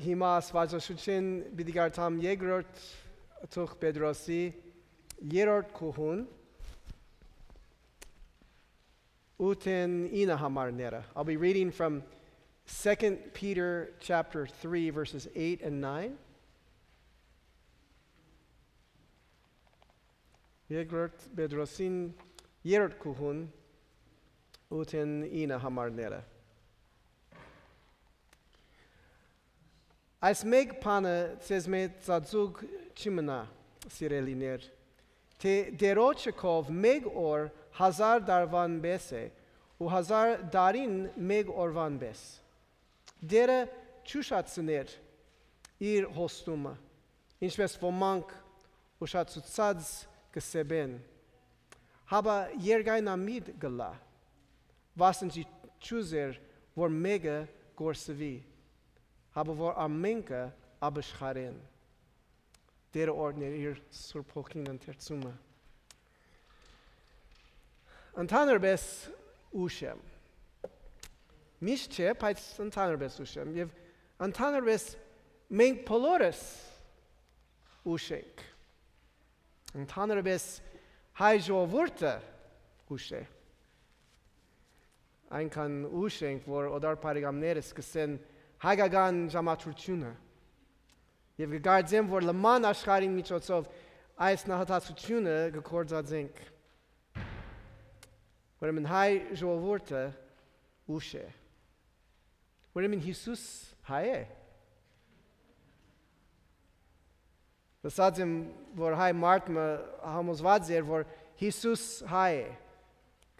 հիմա Աստվածաշունչին պիտի կարդամ երկրորդ Թուղթ Պետրոսի 3-րդ գլխուն 8-9 համարները. I'll be reading from 2 Peter chapter 3 verses 8 and 9. Երկրորդ Պետրոսին 3-րդ գլխուն 8-9 համարները. Այս մեկ բանը ցեզ մեծածուկ չմնա, սիրելիներ, թե դերոջը քով մեկ օր 1000 դարվան պես է, ու 1000 դարին մեկ օրվան պես. Դերը չուշացներ իր հոստումը, ինչպես ոմանք ուշացուցած կսեբեն, հաբա երգայնամիտ գլա, վասնջի չուզեր, որ մեկը գործվի, հաբա որ ամենքը աբաշխարեն. Դերը օրներ իր Սուրբ Հոգին ընթերցումը. Ընդհանրապես ուշ եմ. Միշտ չէ, բայց ընդհանրապես ուշ եմ. Եվ ընդհանրապես մենք բոլորս ուշ ենք. Ընդհանրապես հայ ժողովուրդը ուշ է. Այնքան ուշ ենք, որ օդար բարեկամները սկսեն հայկական ժամացությունը. Եվ կգարձեմ, որ լման աշխարհին միջոցով այս նահատացությունը կգործածենք. Ուրեմն հայ ժողովուրդը ուշ է. Ուրեմն Հիսուս հայ է. Ասած եմ, որ հայ մարդը համոզված էր, որ Հիսուս հայ է.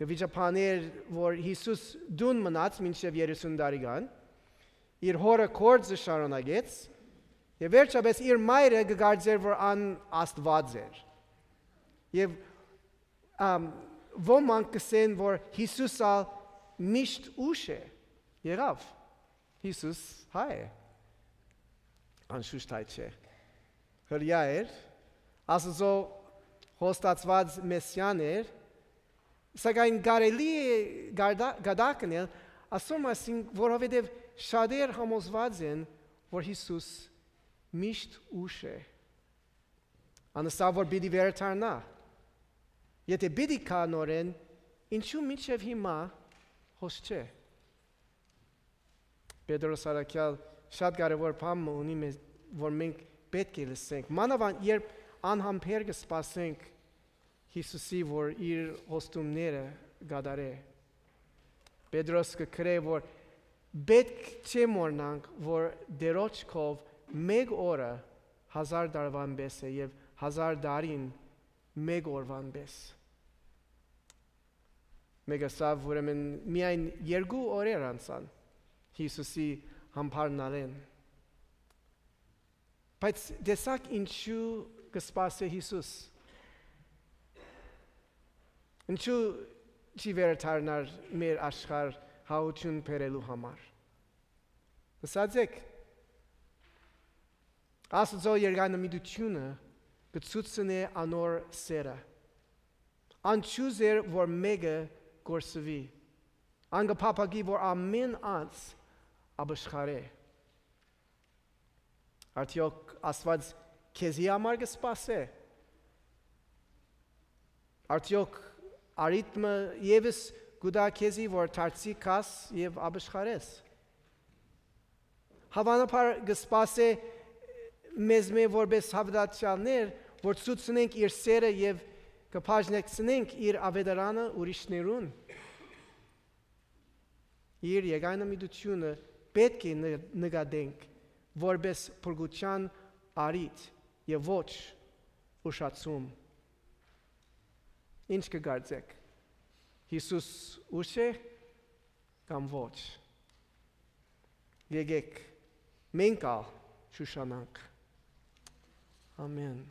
Կվիճապաներ, որ Հիսուս դուն մնաց մինչև 30 տարեկան, իր հորը գործը շարունակեց, եւ վերջապես իր մայրը կգարձեր, որ ան Աստված էր. Եվ ոմանք կսեն, որ Հիսուսը միշտ ուշ է. Եղավ. Հիսուս հայ է. Անշուշտ հայ չէ. Հրյա էր, Աստծո հոստացված մեսիան էր, սակայն կարելի է գադակնել, ասում ասին, որովհետև շատեր համոզված են, որ Հիսուս միշտ ուշ է. Անստա որ պիտի վերադառնա. Եթե պիտի կա նորեն, ինչու մինչև հիմա հոս չէ. Պետրոս առաքյալ շատ կարևոր բան ունի, որ մենք պետք է լսենք. Մանավանդ երբ անհամբեր կսպասենք Հիսուսի, որ իր հոստումները կատարե. Պետրոս կգրե, որ պետք չէ մոռանանք, որ դերոջ քով մեկ օրը 1000 դարվան պես է եւ 1000 դարին մեկ օրվան պես. Մեկ ասավ, ուրեմն միայն 2 օրեր անցան Հիսուսի համբարնալեն. Բայց դեսակ ինչու կսպասե Հիսուս. ինչու չի վերադառնար մեր աշխարհ հաություն բերելու համար. Ասացեք, Աստծո երգանամիտությունը կցուցնե անոր սերը. Անչուզեր, որ մեկը գործվի. անգփափագի, որ ամեն անձ աբաշխարե. Արդյոք Աստված քեզի համար կսպասե. Արդյոք արիթմը եւս գուտա քեզի, որ դարձի կաս եւ աբաշխարես. Հավանաբար կսպասե մեզ որպես հավատացյալներ, որ ցուցնենք իր սերը եւ կբաժնեցնենք իր ավետարանը ուրիշներուն. Իր եկայնամիտությունը պետք է նկատենք որպես փրկության արիթ եւ ոչ ուշացում. Ինչ կգարձեք. Հիսուս ուշ է կամ ոչ. Եկեք մենք ալ շուշանանք. Amen.